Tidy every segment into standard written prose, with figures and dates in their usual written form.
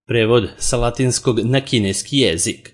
Prevod sa latinskog na kineski jezik.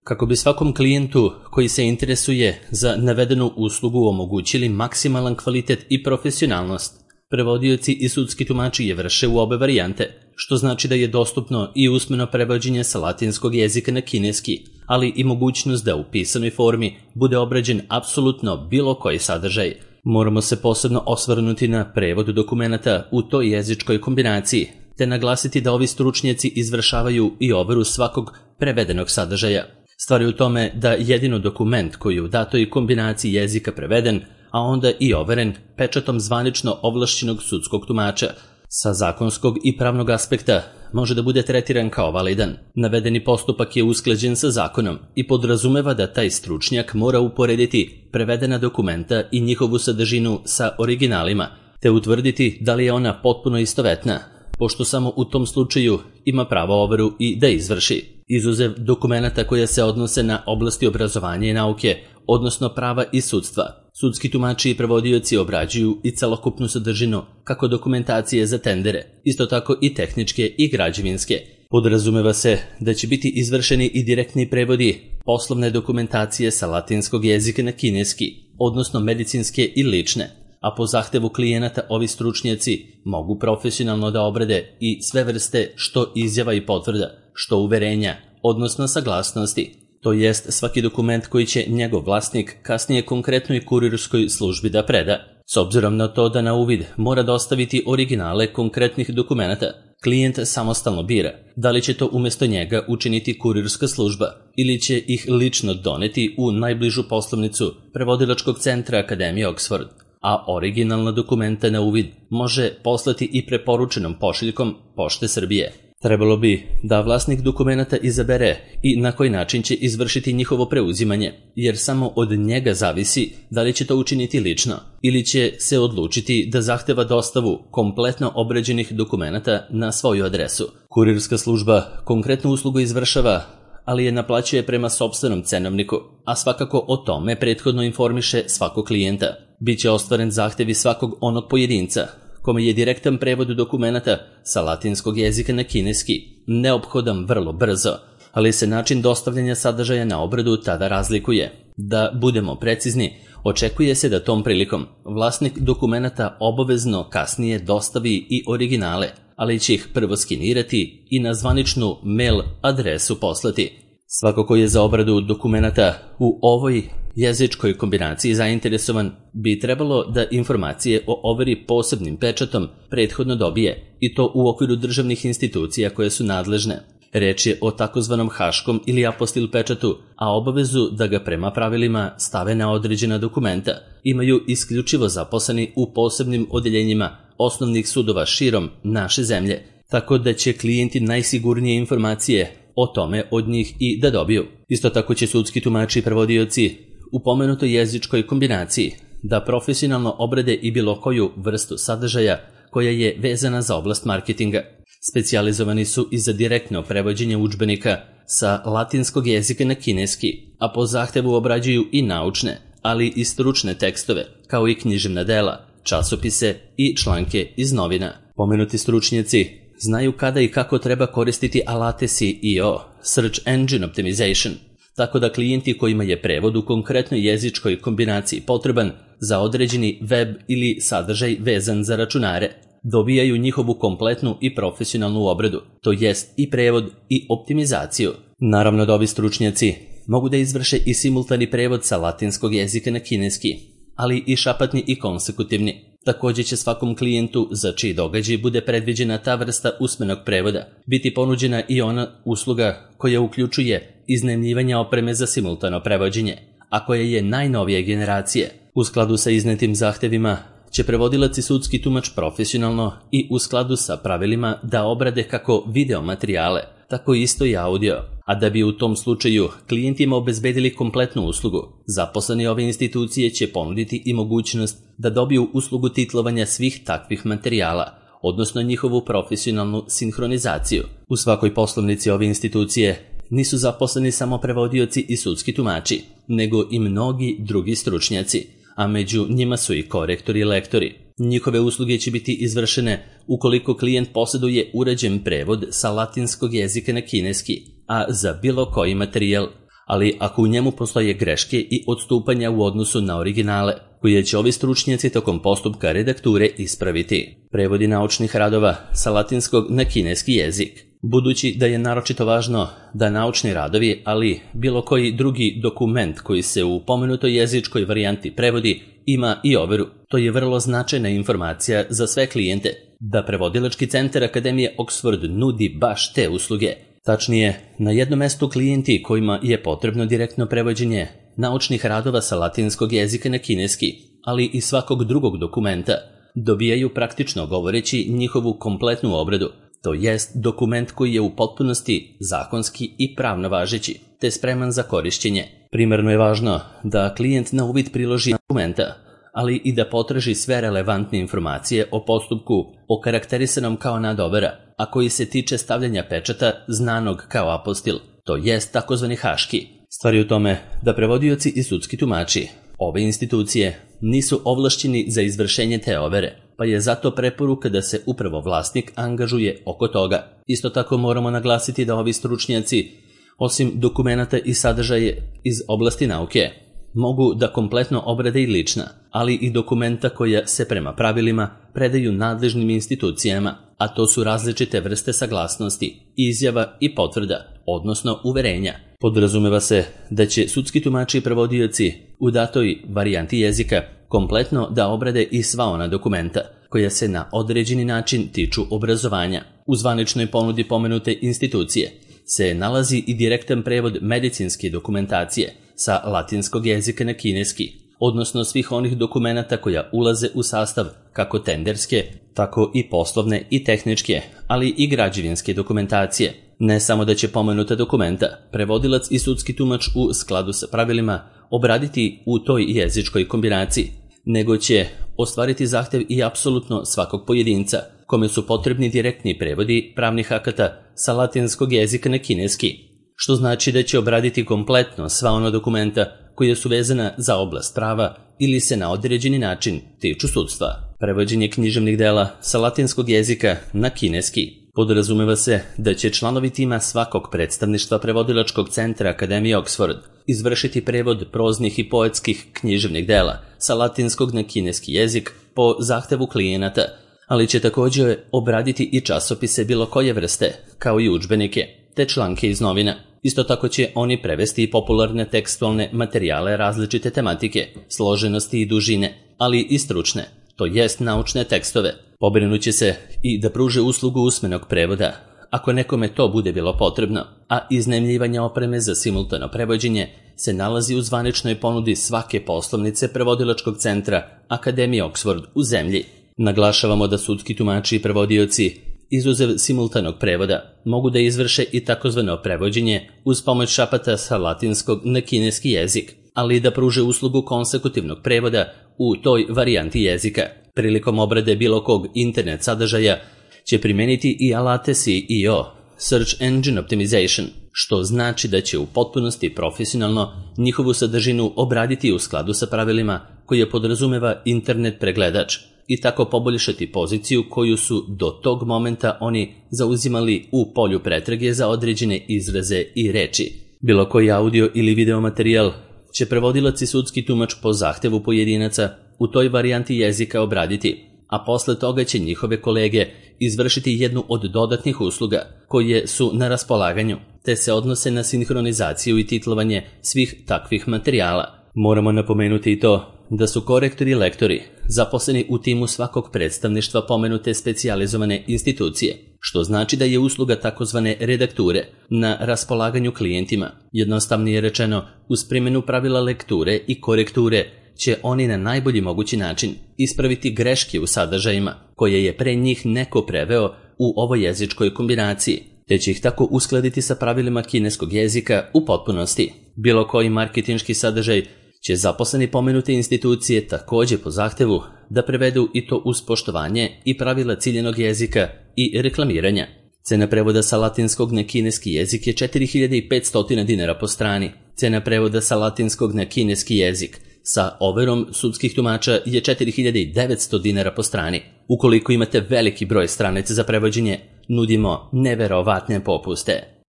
Kako bi svakom klijentu koji se interesuje za navedenu uslugu omogućili maksimalan kvalitet i profesionalnost, prevodioci i sudski tumači je vrše u obe varijante, što znači da je dostupno i usmeno prevođenje sa latinskog jezika na kineski, ali i mogućnost da u pisanoj formi bude obrađen apsolutno bilo koji sadržaj. Moramo se posebno osvrnuti na prevod dokumenata u toj jezičkoj kombinaciji, te naglasiti da ovi stručnjaci izvršavaju i overu svakog prevedenog sadržaja. Stvar je u tome da jedino dokument koji je u datoj kombinaciji jezika preveden, a onda i overen pečatom zvanično ovlašćenog sudskog tumača, sa zakonskog i pravnog aspekta može da bude tretiran kao validan. Navedeni postupak je usklađen sa zakonom i podrazumeva da taj stručnjak mora uporediti prevedena dokumenta i njihovu sadržinu sa originalima, te utvrditi da li je ona potpuno istovetna, pošto samo u tom slučaju ima pravo overu i da izvrši. Izuzev dokumenata koja se odnose na oblasti obrazovanja i nauke, odnosno prava i sudstva, sudski tumači i prevodioci obrađuju i celokupnu sadržinu kako dokumentacije za tendere, isto tako i tehničke i građevinske. Podrazumeva se da će biti izvršeni i direktni prevodi poslovne dokumentacije sa latinskog jezika na kineski, odnosno medicinske i lične, a po zahtevu klijenata ovi stručnjaci mogu profesionalno da obrade i sve vrste što izjava i potvrda, što uverenja, odnosno saglasnosti, to jest svaki dokument koji će njegov vlasnik kasnije konkretnoj kurirskoj službi da preda. S obzirom na to da na uvid mora dostaviti originale konkretnih dokumenata, klijent samostalno bira da li će to umjesto njega učiniti kurirska služba ili će ih lično doneti u najbližu poslovnicu prevodilačkog centra Akademije Oxford, a originalna dokumenta na uvid može poslati i preporučenom pošiljkom Pošte Srbije. Trebalo bi da vlasnik dokumenata izabere i na koji način će izvršiti njihovo preuzimanje, jer samo od njega zavisi da li će to učiniti lično ili će se odlučiti da zahteva dostavu kompletno obrađenih dokumenata na svoju adresu. Kurirska služba konkretnu uslugu izvršava, ali je naplaćuje prema sopstvenom cenovniku, a svakako o tome prethodno informiše svakog klijenta. Biće ostvaren zahtevi svakog onog pojedinca kome je direktan prevod dokumenata sa latinskog jezika na kineski neophodan vrlo brzo, ali se način dostavljanja sadržaja na obradu tada razlikuje. Da budemo precizni, očekuje se da tom prilikom vlasnik dokumenata obavezno kasnije dostavi i originale, ali će ih prvo skenirati i na zvaničnu mail adresu poslati. Svako ko je za obradu dokumenata u ovoj jezičkoj kombinaciji zainteresovan bi trebalo da informacije o overi posebnim pečatom prethodno dobije, i to u okviru državnih institucija koje su nadležne. Reč je o takozvanom haškom ili apostil pečatu, a obavezu da ga prema pravilima stave na određena dokumenta imaju isključivo zaposleni u posebnim odeljenjima osnovnih sudova širom naše zemlje, tako da će klijenti najsigurnije informacije o tome od njih i da dobiju. Isto tako će sudski tumači i prevodioci u pomenutoj jezičkoj kombinaciji da profesionalno obrade i bilo koju vrstu sadržaja koja je vezana za oblast marketinga. Specijalizovani su i za direktno prevođenje udžbenika sa latinskog jezika na kineski, a po zahtevu obrađuju i naučne, ali i stručne tekstove, kao i književna dela, časopise i članke iz novina. Pomenuti stručnjaci znaju kada i kako treba koristiti alate SEO, Search Engine Optimization, tako da klijenti kojima je prevod u konkretnoj jezičkoj kombinaciji potreban za određeni web ili sadržaj vezan za računare, dobijaju njihovu kompletnu i profesionalnu obradu, to jest i prevod i optimizaciju. Naravno da ovi stručnjaci mogu da izvrše i simultani prevod sa latinskog jezika na kineski, ali i šapatni i konsekutivni. Također će svakom klijentu za čiji događaj bude predviđena ta vrsta usmenog prevoda biti ponuđena i ona usluga koja uključuje iznajmljivanje opreme za simultano prevođenje, a koja je najnovije generacije. U skladu sa iznetim zahtevima će prevodilac i sudski tumač profesionalno i u skladu sa pravilima da obrade kako video materijale, tako isto i audio, a da bi u tom slučaju klijentima obezbedili kompletnu uslugu, zaposleni ove institucije će ponuditi i mogućnost da dobiju uslugu titlovanja svih takvih materijala, odnosno njihovu profesionalnu sinhronizaciju. U svakoj poslovnici ove institucije nisu zaposleni samo prevodioci i sudski tumači, nego i mnogi drugi stručnjaci, a među njima su i korektori i lektori. Njihove usluge će biti izvršene ukoliko klijent posjeduje uređen prevod sa latinskog jezika na kineski, a za bilo koji materijal, ali ako u njemu postoje greške i odstupanja u odnosu na originale, koje će ovi stručnjaci tokom postupka redakture ispraviti. Prevodi naučnih radova sa latinskog na kineski jezik. Budući da je naročito važno da naučni radovi, ali bilo koji drugi dokument koji se u pomenutoj jezičkoj varijanti prevodi, ima i overu. To je vrlo značajna informacija za sve klijente, da prevodilački centar Akademije Oxford nudi baš te usluge. Tačnije, na jednom mestu klijenti kojima je potrebno direktno prevođenje naučnih radova sa latinskog jezika na kineski, ali i svakog drugog dokumenta, dobijaju praktično govoreći njihovu kompletnu obradu, to jest dokument koji je u potpunosti zakonski i pravno važeći, te spreman za korišćenje. Primarno je važno da klijent na uvid priloži dokumenta, ali i da potraži sve relevantne informacije o postupku okarakterisanom kao nadovera, a koji se tiče stavljanja pečata znanog kao apostil, to jest takozvani haški. Stvar je u tome da prevodioci i sudski tumači ove institucije nisu ovlašćeni za izvršenje te overe, pa je zato preporuka da se upravo vlasnik angažuje oko toga. Isto tako moramo naglasiti da ovi stručnjaci, osim dokumenata i sadržaje iz oblasti nauke, mogu da kompletno obrade i lična, ali i dokumenta koja se prema pravilima predaju nadležnim institucijama, a to su različite vrste saglasnosti, izjava i potvrda, odnosno uverenja. Podrazumeva se da će sudski tumači i prevodioci u datoj varijanti jezika kompletno da obrade i sva ona dokumenta koja se na određeni način tiču obrazovanja. U zvaničnoj ponudi pomenute institucije se nalazi i direktan prevod medicinske dokumentacije sa latinskog jezika na kineski, odnosno svih onih dokumenata koja ulaze u sastav kako tenderske, tako i poslovne i tehničke, ali i građevinske dokumentacije. Ne samo da će pomenuta dokumenta prevodilac i sudski tumač u skladu sa pravilima obraditi u toj jezičkoj kombinaciji, nego će ostvariti zahtev i apsolutno svakog pojedinca, kome su potrebni direktni prevodi pravnih akata sa latinskog jezika na kineski, što znači da će obraditi kompletno sva ona dokumenta koja su vezana za oblast prava ili se na određeni način tiču sudstva. Prevođenje književnih dela sa latinskog jezika na kineski. Podrazumeva se da će članovi tima svakog predstavništva prevodilačkog centra Akademije Oxford izvršiti prevod proznih i poetskih književnih dela sa latinskog na kineski jezik po zahtevu klijenata, ali će također obraditi i časopise bilo koje vrste, kao i udžbenike, te članke iz novina. Isto tako će oni prevesti i popularne tekstualne materijale različite tematike, složenosti i dužine, ali i stručne, to jest naučne tekstove. Pobrinuće se i da pruže uslugu usmenog prevoda, ako nekome to bude bilo potrebno, a iznajmljivanje opreme za simultano prevođenje se nalazi u zvaničnoj ponudi svake poslovnice prevodilačkog centra Akademije Oxford u zemlji. Naglašavamo da sudski tumači i prevodioci, izuzev simultanog prevoda, mogu da izvrše i takozvano prevođenje uz pomoć šapata sa latinskog na kineski jezik, ali i da pruže uslugu konsekutivnog prevoda u toj varijanti jezika. Prilikom obrade bilo kog internet sadržaja će primeniti i alate SEO, Search Engine Optimization, što znači da će u potpunosti profesionalno njihovu sadržinu obraditi u skladu sa pravilima koje podrazumeva internet pregledač i tako poboljšati poziciju koju su do tog momenta oni zauzimali u polju pretrage za određene izraze i reči. Bilo koji audio ili video materijal će prevodilac i sudski tumač po zahtevu pojedinaca u toj varijanti jezika obraditi, a posle toga će njihove kolege izvršiti jednu od dodatnih usluga koje su na raspolaganju, te se odnose na sinhronizaciju i titlovanje svih takvih materijala. Moramo napomenuti i to da su korektori i lektori zaposleni u timu svakog predstavništva pomenute specijalizovane institucije, što znači da je usluga takozvane redakture na raspolaganju klijentima. Jednostavnije rečeno, uz primjenu pravila lekture i korekture će oni na najbolji mogući način ispraviti greške u sadržajima koje je pre njih neko preveo u ovoj jezičkoj kombinaciji, te će ih tako uskladiti sa pravilima kineskog jezika u potpunosti. Bilo koji marketinški sadržaj će zaposleni pomenute institucije također po zahtevu da prevedu i to uz poštovanje i pravila ciljenog jezika i reklamiranja. Cena prevoda sa latinskog na kineski jezik je 4500 dinara po strani. Cena prevoda sa latinskog na kineski jezik sa overom sudskih tumača je 4900 dinara po strani. Ukoliko imate veliki broj stranica za prevođenje, nudimo neverovatne popuste.